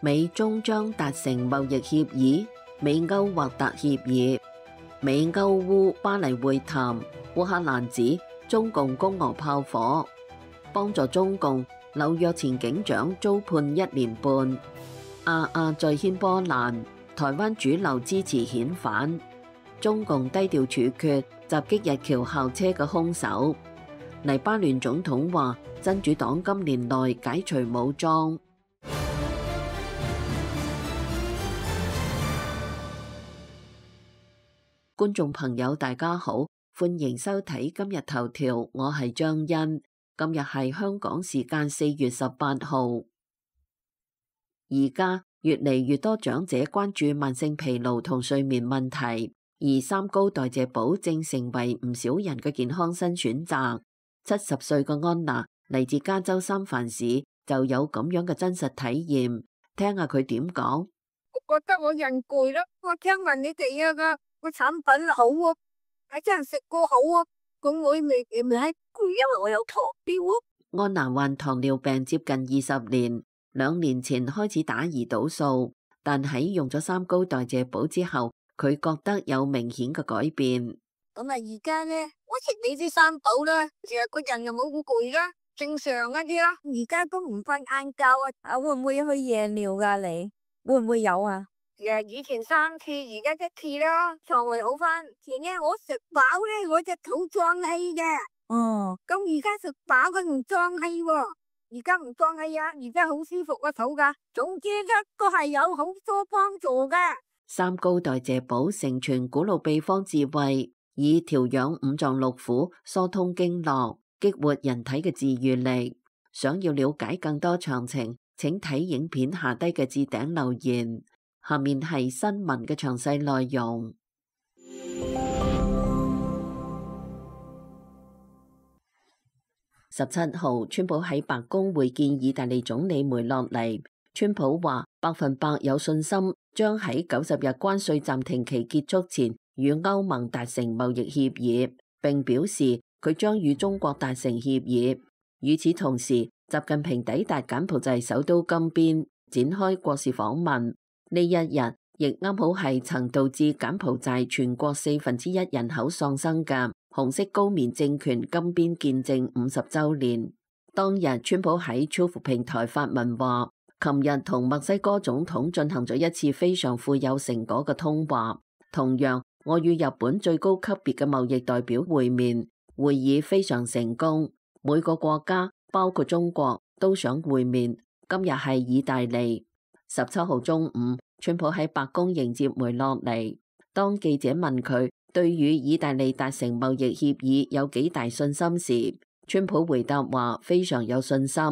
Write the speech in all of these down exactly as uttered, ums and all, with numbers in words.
美中將達成貿易協議，美歐或達協議。美歐烏巴黎會談，烏克蘭指中共攻俄炮火，幫助中共。紐約前警長遭判一年半。阿阿再掀波瀾，台灣主流支持遣返。中共低調處決襲擊日僑校車嘅兇手。黎巴嫩總統話真主黨今年內解除武裝。觀眾朋友大家好，歡迎收睇今日頭條，我係張欣。今日係香港時間四月十八號。而家越嚟越多長者關注慢性疲勞同睡眠問題，而三高代謝寶正成為唔少人嘅健康新選擇。七十歲嘅安娜嚟自加州三藩市，就有咁樣嘅真實體驗，聽下佢點講。我覺得我人攰啦，我聽聞你哋啊個個產品好啊，係真係食過好啊，咁我未未喺。因為我有糖尿。安娜患糖尿病接近二十年，兩年前開始打胰島素，但喺用咗三高代謝寶之後，佢覺得有明顯嘅改變。咁啊，而家咧，我食你啲三寶啦，其實個人又冇咁攰啦，正常一啲啦。而家都唔瞓晏覺啊，啊會唔會去夜尿噶？你會唔會有啊？誒，以前三次，而家一次啦，腸胃好翻。前日我食飽咧，我隻肚脹氣嘅。哦，咁而家食飽佢唔脹氣喎，而家唔脹氣啊，而家好舒服個肚噶。總之咧都係有好多幫助嘅。三高代謝寶承傳古老秘方智慧，以調養五臟六腑、疏通經絡、激活人體嘅治癒力。想要了解更多詳情，請睇影片下低嘅置頂留言。下面係新聞嘅詳細內容。十七號，川普喺白宮會見意大利總理梅洛尼。川普話百分百有信心將喺九十日關稅暫停期結束前與歐盟達成貿易協議，並表示佢將與中國達成協議。與此同時，習近平抵達柬埔寨首都金邊，展開國事訪問。呢一日亦啱好係曾導致柬埔寨全國四分之一人口喪生嘅紅色高棉政權金邊建政五十周年。當日川普喺 Truth 平台發文話，琴日同墨西哥總統進行咗一次非常富有成果嘅通話。同樣，我與日本最高級別嘅貿易代表會面，會議非常成功。每個國家包括中國都想會面。今日係意大利。十七號中午，川普喺白宮迎接梅洛尼。當記者問佢對與意大利達成貿易協議有幾大信心時，川普回答話非常有信心。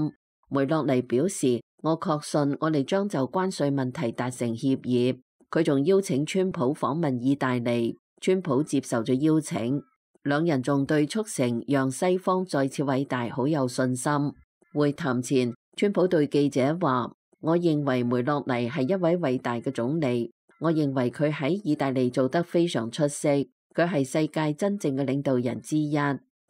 梅洛尼表示，我確信我哋將就關稅問題達成協議。佢仲邀請川普訪問意大利，川普接受咗邀請。兩人仲對促成讓西方再次偉大好有信心。會談前，川普對記者話，我認為梅洛尼係一位偉大嘅總理，我認為佢喺意大利做得非常出色，佢係世界真正嘅領導人之一。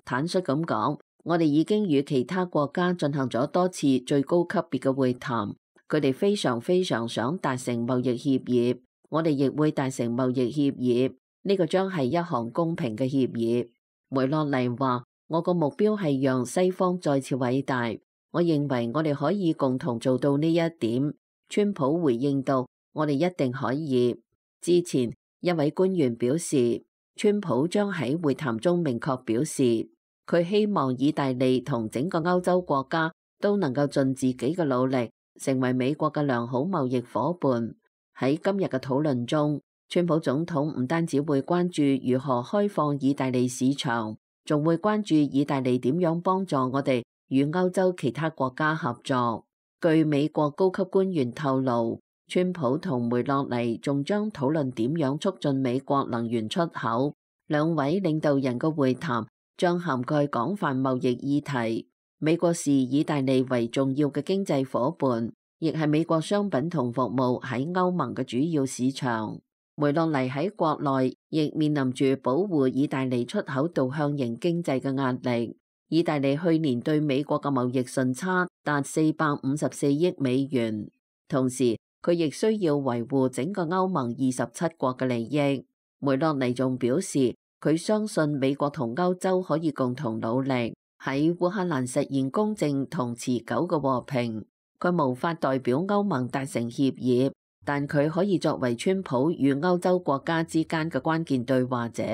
坦率咁講，我哋已經與其他國家進行咗多次最高級別嘅會談，佢哋非常非常想達成貿易協議，我哋亦會達成貿易協議，呢個將係一項公平嘅協議。梅洛尼話，我個目標係讓西方再次偉大。我認為我哋可以共同做到呢一點。川普回應道，我哋一定可以。之前一位官員表示，川普將喺會談中明確表示，佢希望意大利同整個歐洲國家都能夠盡自己嘅努力，成為美國嘅良好貿易夥伴。喺今日嘅討論中，川普總統唔單止會關注如何開放意大利市場，仲會關注意大利點樣幫助我哋與歐洲其他國家合作。據美國高級官員透露，川普同梅洛尼仲將討論點樣促進美國能源出口。兩位領導人嘅會談將涵蓋廣泛貿易議題。美國視意大利為重要嘅經濟夥伴，亦係美國商品同服務喺歐盟嘅主要市場。梅洛尼喺國內亦面臨住保護意大利出口導向型經濟嘅壓力。意大利去年對美國嘅貿易順差達四百五十四億美元，同時佢亦需要維護整個歐盟二十七國嘅利益。梅洛尼仲表示，佢相信美國同歐洲可以共同努力喺烏克蘭實現公正同持久嘅和平。佢無法代表歐盟達成協議，但佢可以作為川普與歐洲國家之間嘅關鍵對話者。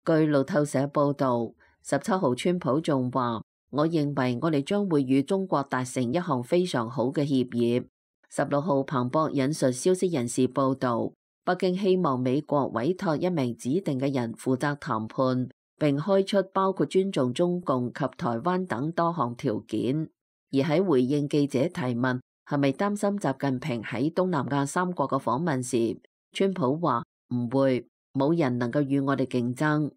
據路透社報導，十七號川普仲話：我認為我哋將會與中國達成一項非常好嘅協議。十六號彭博引述消息人士報導，北京希望美國委託一名指定嘅人負責談判，並開出包括尊重中共及台灣等多項條件。而喺回應記者提問係咪擔心習近平喺東南亞三國嘅訪問時，川普話唔會，冇人能夠與我哋競爭。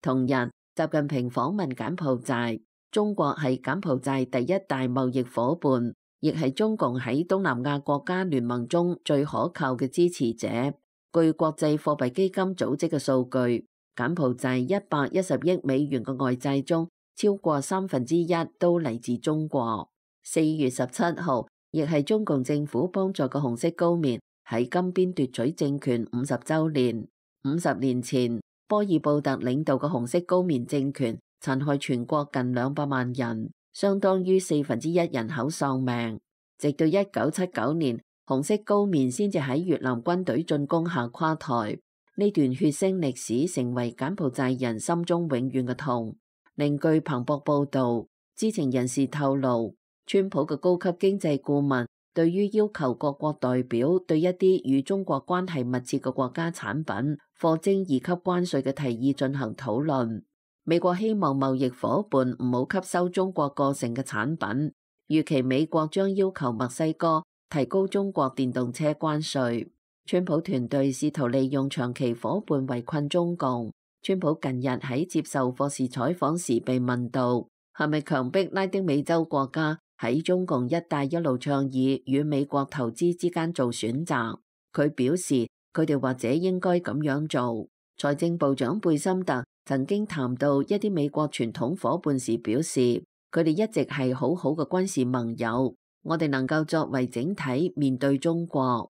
同日，習近平訪問柬埔寨，中國係柬埔寨第一大貿易夥伴，亦係中共喺東南亞國家聯盟中最可靠嘅支持者。據國際貨幣基金組織嘅數據，柬埔寨一百一十億美元嘅外債中，超過三分之一都嚟自中國。四月十七號，亦係中共政府幫助嘅紅色高棉喺金邊奪取政權五十週年。五十年前，波爾布特領導嘅紅色高棉政權殘害全國近兩百萬人，相當於四分之一人口喪命。直到一九七九年，紅色高棉先至喺越南軍隊進攻下垮台。呢段血腥歷史成為柬埔寨人心中永遠嘅痛。另據彭博報導，知情人士透露，川普嘅高級經濟顧問對於要求各國代表對一啲與中國關係密切嘅國家產品課徵二級關稅嘅提議進行討論。美國希望貿易夥伴唔好吸收中國過剩嘅產品，預期美國將要求墨西哥提高中國電動車關稅。川普團隊試圖利用長期夥伴圍困中共。川普近日喺接受霍士採訪時被問到，係咪強迫拉丁美洲國家喺中共一帶一路倡議與美國投資之間做選擇？佢表示，佢哋或者應該咁樣做。財政部長貝森特曾經談到一啲美國傳統夥伴時表示，佢哋一直係好好嘅軍事盟友，我哋能夠作為整體面對中國。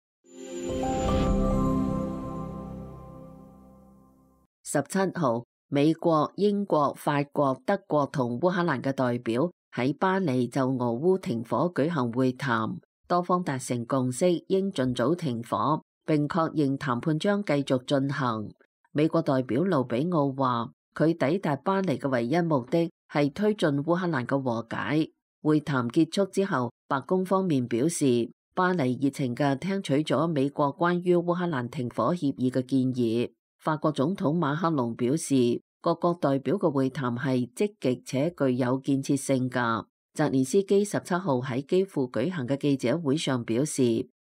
十七號，美國、英國、法國、德國同烏克蘭嘅代表喺巴黎就俄烏停火舉行會談，多方達成共識，應盡早停火，並確認談判將繼續進行。美國代表盧比奧話，佢抵達巴黎嘅唯一目的係推進烏克蘭嘅和解。會談結束之後，白宮方面表示，巴黎熱情嘅聽取咗美國關於烏克蘭停火協議嘅建議。法國總統馬克龍表示，各國代表嘅會談係積極且具有建設性㗎。澤連斯基十七號喺基輔舉行嘅記者會上表示，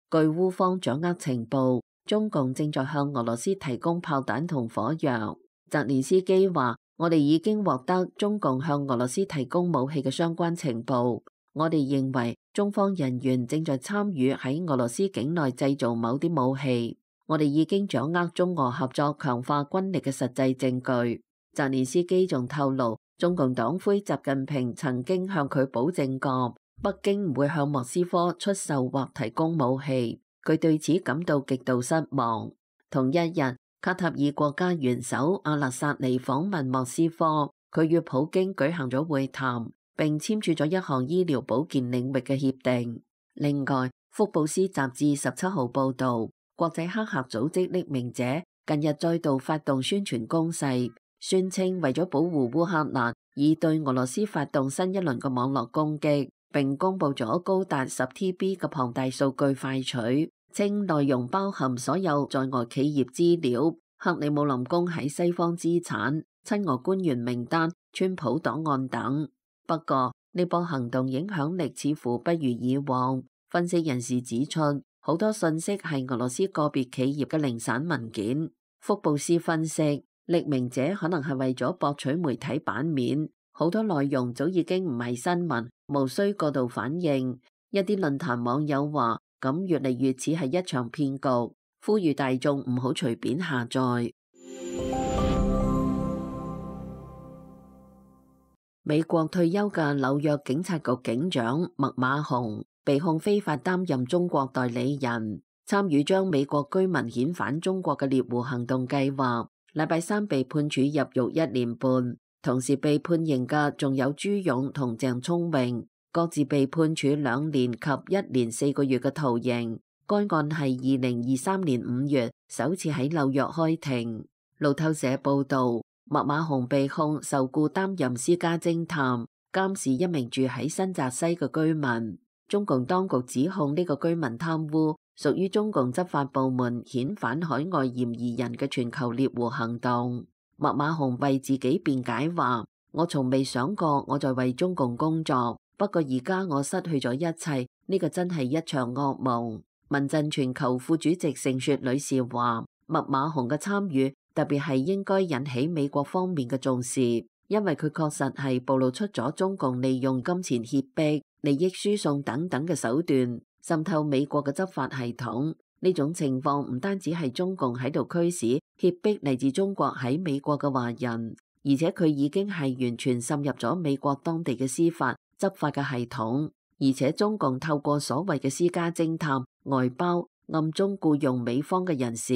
據烏方掌握情報，中共正在向俄羅斯提供炮彈同火藥。澤連斯基話，我哋已經獲得中共向俄羅斯提供武器嘅相關情報，我哋認為中方人員正在參與喺俄羅斯境內製造某啲武器。我哋已經掌握中俄合作強化軍力嘅實際證據。澤連斯基仲透露，中共黨魁習近平曾經向佢保證過，北京唔會向莫斯科出售或提供武器。佢對此感到極度失望。同一日，卡塔爾國家元首阿勒薩尼訪問莫斯科，佢與普京舉行咗會談，並簽署咗一項醫療保健領域嘅協定。另外，福布斯雜誌十七號報導，國際黑客組織匿名者近日再度發動宣傳攻勢，宣稱為咗保護烏克蘭，已對俄羅斯發動新一輪嘅網絡攻擊，並公布咗高達十 T B 嘅龐大數據快取，稱內容包含所有在俄企業資料、克里姆林宮喺西方資產、親俄官員名單、川普檔案等。不過呢波行動影響力似乎不如以往，分析人士指出，好多信息係俄羅斯個別企業嘅零散文件。福布斯分析，匿名者可能係為咗博取媒體版面，好多內容早已經唔係新聞，無需過度反應。一啲論壇網友話，咁越嚟越似係一場騙局，呼籲大眾唔好隨便下載。美國退休嘅紐約警察局警長麥馬洪被控非法擔任中國代理人。參與將美國居民遣返中國嘅獵狐行動計劃，禮拜三被判處入獄一年半。同時被判刑嘅仲有朱勇同鄭聰榮，各自被判處兩年及一年四個月嘅徒刑。該案係二零二三年五月首次喺紐約開庭。路透社報導，麥馬洪被控受僱擔任私家偵探，監視一名住喺新澤西嘅居民。中共當局指控呢個居民貪污，屬於中共執法部門遣返海外嫌疑人嘅全球獵狐行動。麥馬洪為自己辯解話：我從未想過我在為中共工作，不過而家我失去咗一切，呢個真係一場噩夢。民陣全球副主席盛雪女士話：麥馬洪嘅參與特別係應該引起美國方面嘅重視，因為佢確實係暴露出咗中共利用金錢脅迫、利益輸送等等嘅手段，滲透美國嘅執法系統。呢種情況唔單止係中共喺度驅使脅迫嚟自中國喺美國嘅華人，而且佢已經係完全滲入咗美國當地嘅司法執法嘅系統，而且中共透過所謂嘅私家偵探、外包、暗中僱用美方嘅人士，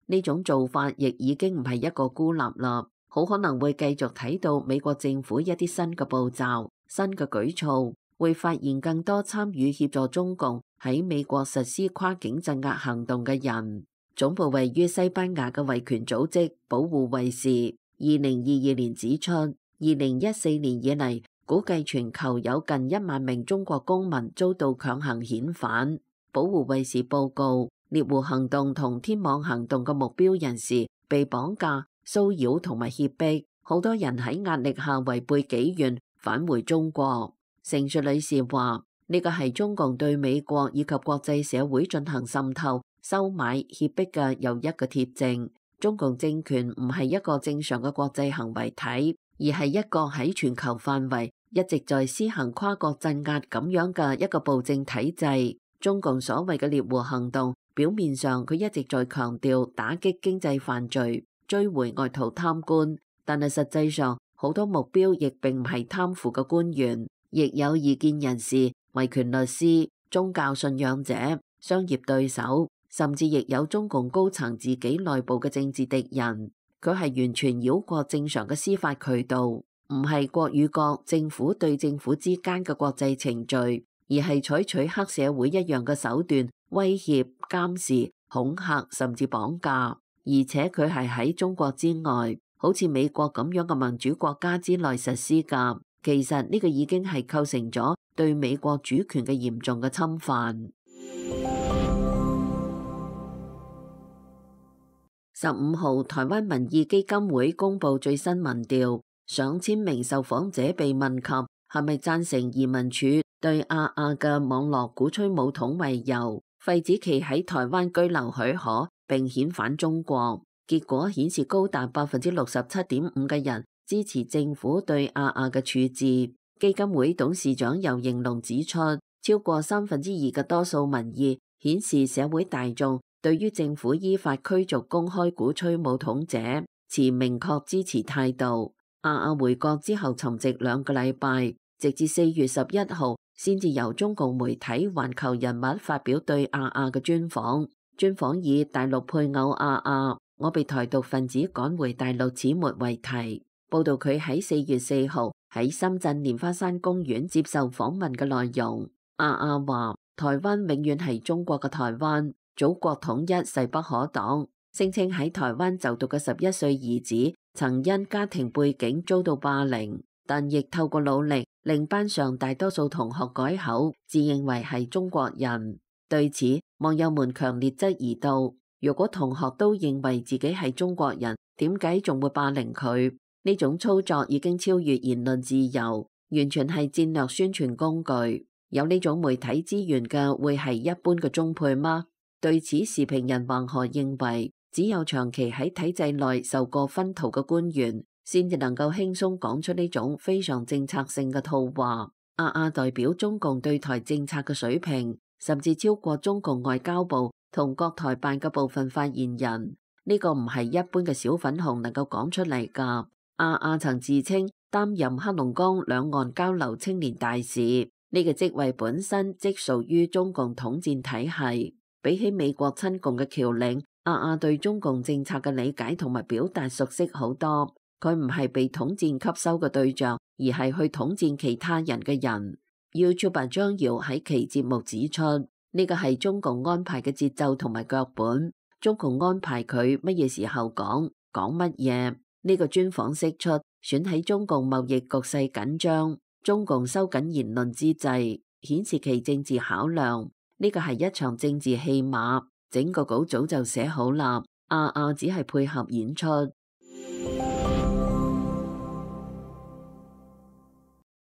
呢種做法亦已經唔係一個孤立啦，好可能會繼續睇到美國政府一啲新嘅步驟、新嘅舉措，會發現更多參與協助中共喺美國實施跨境鎮壓行動嘅人。總部位於西班牙嘅維權組織保護衛士二零二二年指出，二零一四年以嚟，估計全球有近一萬名中國公民遭到強行遣返。保護衛士報告，獵狐行動同天網行動嘅目標人士被綁架、騷擾同埋脅迫，好多人喺壓力下違背己願返回中國。盛雪女士話：呢個係中共對美國以及國際社會進行滲透、收買、脅迫嘅又一個貼證。中共政權唔係一個正常嘅國際行為體，而係一個喺全球範圍一直在施行跨國鎮壓咁樣嘅一個暴政體制。中共所謂嘅獵狐行動，表面上佢一直在強調打擊經濟犯罪、追回外逃貪官，但係實際上好多目標亦並唔係貪腐嘅官員，亦有異見人士、維權律師、宗教信仰者、商業對手，甚至亦有中共高層自己內部嘅政治敵人。佢係完全繞過正常嘅司法渠道，唔係國與國、政府對政府之間嘅國際程序，而係採取黑社會一樣嘅手段，威脅、監視、恐嚇，甚至綁架。而且佢係喺中國之外，好似美國咁樣嘅民主國家之內實施㗎。其實呢個已經係構成咗對美國主權嘅嚴重嘅侵犯。十五號，台灣民意基金會公布最新民調，上千名受訪者被問及係咪贊成移民署對阿亞嘅網絡鼓吹武統為由，廢止其喺台灣居留許可並遣返中國。結果顯示高達百分之六十七點五嘅人支持政府對阿亞嘅處置。基金會董事長游盈隆指出，超過三分之二嘅多數民意顯示社會大眾對於政府依法驅逐公開鼓吹武統者持明確支持態度。阿亞回國之後沉寂兩個禮拜，直至四月十一號先至由中共媒體環球人物發表對阿亞嘅專訪。專訪以大陸配偶阿亞，我被台獨分子趕回大陸始末為題，報道佢喺四月四號喺深圳蓮花山公園接受訪問嘅內容。阿亞話：台灣永遠係中國嘅台灣，祖國統一勢不可擋。聲稱喺台灣就讀嘅十一歲兒子曾因家庭背景遭到霸凌，但亦透過努力令班上大多數同學改口，自認為係中國人。對此，網友們強烈質疑道：如果同學都認為自己係中國人，點解仲會霸凌佢？呢種操作已經超越言論自由，完全係戰略宣傳工具。有呢種媒體資源嘅會係一般嘅中配嗎？對此，時評人黃河認為，只有長期喺體制內受過熏陶嘅官員，先至能夠輕鬆講出呢種非常政策性嘅套話。阿亞代表中共對台政策嘅水平，甚至超過中共外交部同國台辦嘅部分發言人。呢個唔係一般嘅小粉紅能夠講出嚟㗎。阿亞曾自稱擔任黑龍江兩岸交流青年大使，呢個職位本身即屬於中共統戰體系。比起美國親共嘅僑領，阿阿對中共政策嘅理解同埋表達熟悉好多。佢唔係被統戰吸收嘅對象，而係去統戰其他人嘅人。YouTuber 張瑤喺其節目指出，呢個係中共安排嘅節奏同埋腳本，中共安排佢乜嘢時候講講乜嘢。呢個專訪釋出，選喺中共貿易局勢緊張、中共收緊言論之際，顯示其政治考量。呢個係一場政治戲碼，整個稿早就寫好啦，阿阿只係配合演出。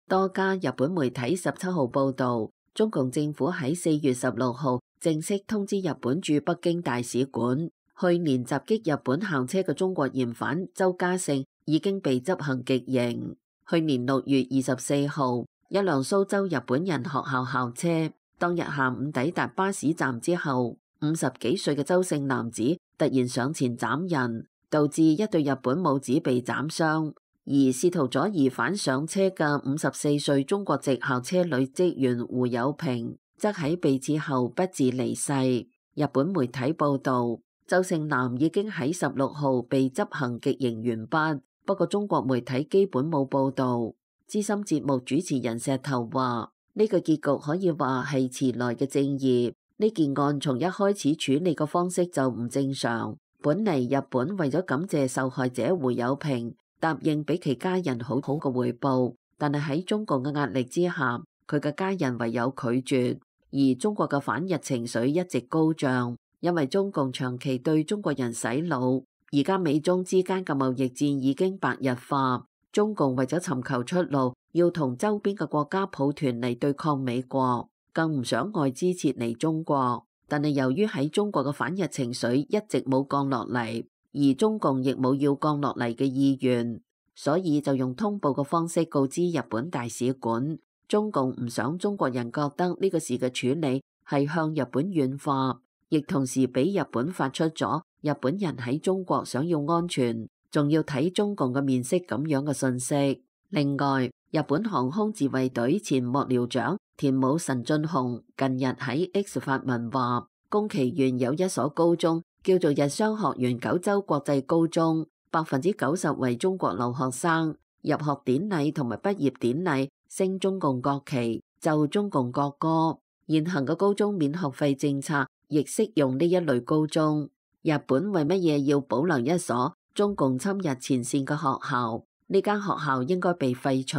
多家日本媒體十七號報道，中共政府喺四月十六號正式通知日本駐北京大使館，去年襲擊日本校車嘅中國嫌犯周家勝已經被執行極刑。去年六月二十四號，一輛蘇州日本人學校校車當日下午抵達巴士站之後，五十幾歲嘅周姓男子突然上前斬人，導致一對日本母子被斬傷。而試圖阻疑犯上車嘅五十四歲中國籍校車女職員胡友平，則喺被刺後不治離世。日本媒體報道，周姓男已經喺十六號被執行極刑完畢，不過中國媒體基本冇報道。資深節目主持人石頭話：呢個結局可以話係遲來嘅正義。呢件案從一開始處理嘅方式就唔正常。本嚟日本為咗感謝受害者胡友平，答應俾其家人好好嘅回報，但係喺中共嘅壓力之下，佢嘅家人唯有拒絕。而中國嘅反日情緒一直高漲，因為中共長期對中國人洗腦，而家美中之間嘅貿易戰已經白熱化。中共為咗尋求出路，要同周邊嘅國家抱團嚟對抗美國，更唔想外資撤離中國。但係由於喺中國嘅反日情緒一直冇降落嚟，而中共亦冇要降落嚟嘅意願，所以就用通報嘅方式告知日本大使館。中共唔想中國人覺得呢個事嘅處理係向日本軟化，亦同時俾日本發出咗日本人喺中國想要安全，仲要睇中共嘅面色咁樣嘅信息。另外，日本航空自衛隊前幕僚長田武神俊雄近日喺 X 發文話，宮崎縣有一所高中叫做日商學園九州國際高中，百分之九十為中國留學生。入學典禮同埋畢業典禮升中共國旗，奏中共國歌。現行嘅高中免學費政策亦適用呢一類高中。日本為乜嘢要保留一所中共侵日前線嘅學校？呢間學校應該被廢除。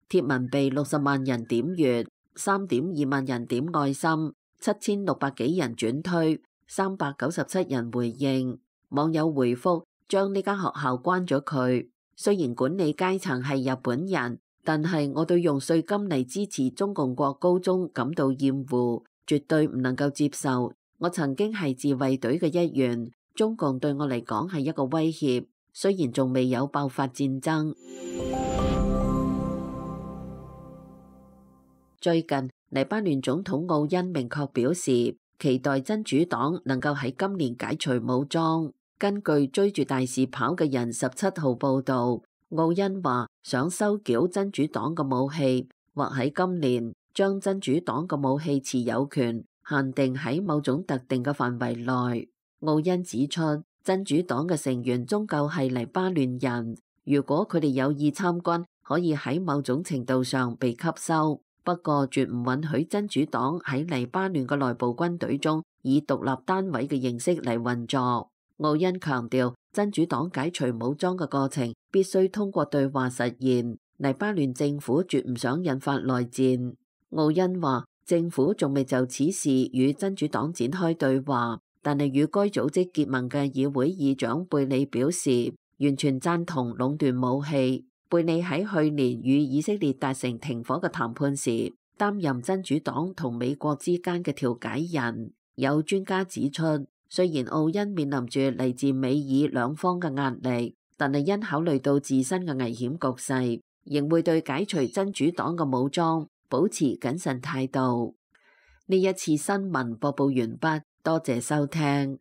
貼文被六十萬人點閱，三點二萬人點愛心，七千六百幾人轉推，三百九十七人回應。網友回覆將呢間學校關咗佢。雖然管理階層係日本人，但係我對用稅金嚟支持中共國高中感到厭惡，絕對唔能夠接受。我曾經係自衛隊嘅一員，中共對我嚟講係一個威脅，雖然仲未有爆發戰爭。最近，黎巴嫩總統奧恩明確表示，期待真主黨能夠喺今年解除武裝。根據追住大事跑嘅人十七號報道，奧恩話想收繳真主黨嘅武器，或喺今年將真主黨嘅武器持有權限定喺某種特定嘅範圍內。奧恩指出，真主黨嘅成員終究係黎巴嫩人，如果佢哋有意參軍，可以喺某種程度上被吸收，不過絕唔允許真主黨喺黎巴嫩嘅內部軍隊中以獨立單位嘅形式嚟運作。奧恩強調，真主黨解除武裝嘅過程必須通過對話實現。黎巴嫩政府絕唔想引發內戰。奧恩話，政府仲未就此事與真主黨展開對話，但係與該組織結盟嘅議會議長貝里表示，完全贊同壟斷武器。貝里喺去年與以色列達成停火嘅談判時，擔任真主黨同美國之間嘅調解人。有專家指出，雖然奧恩面臨住嚟自美以兩方嘅壓力，但係因考慮到自身嘅危險局勢，仍會對解除真主黨嘅武裝保持謹慎態度。呢一次新聞播報完畢，多謝收聽。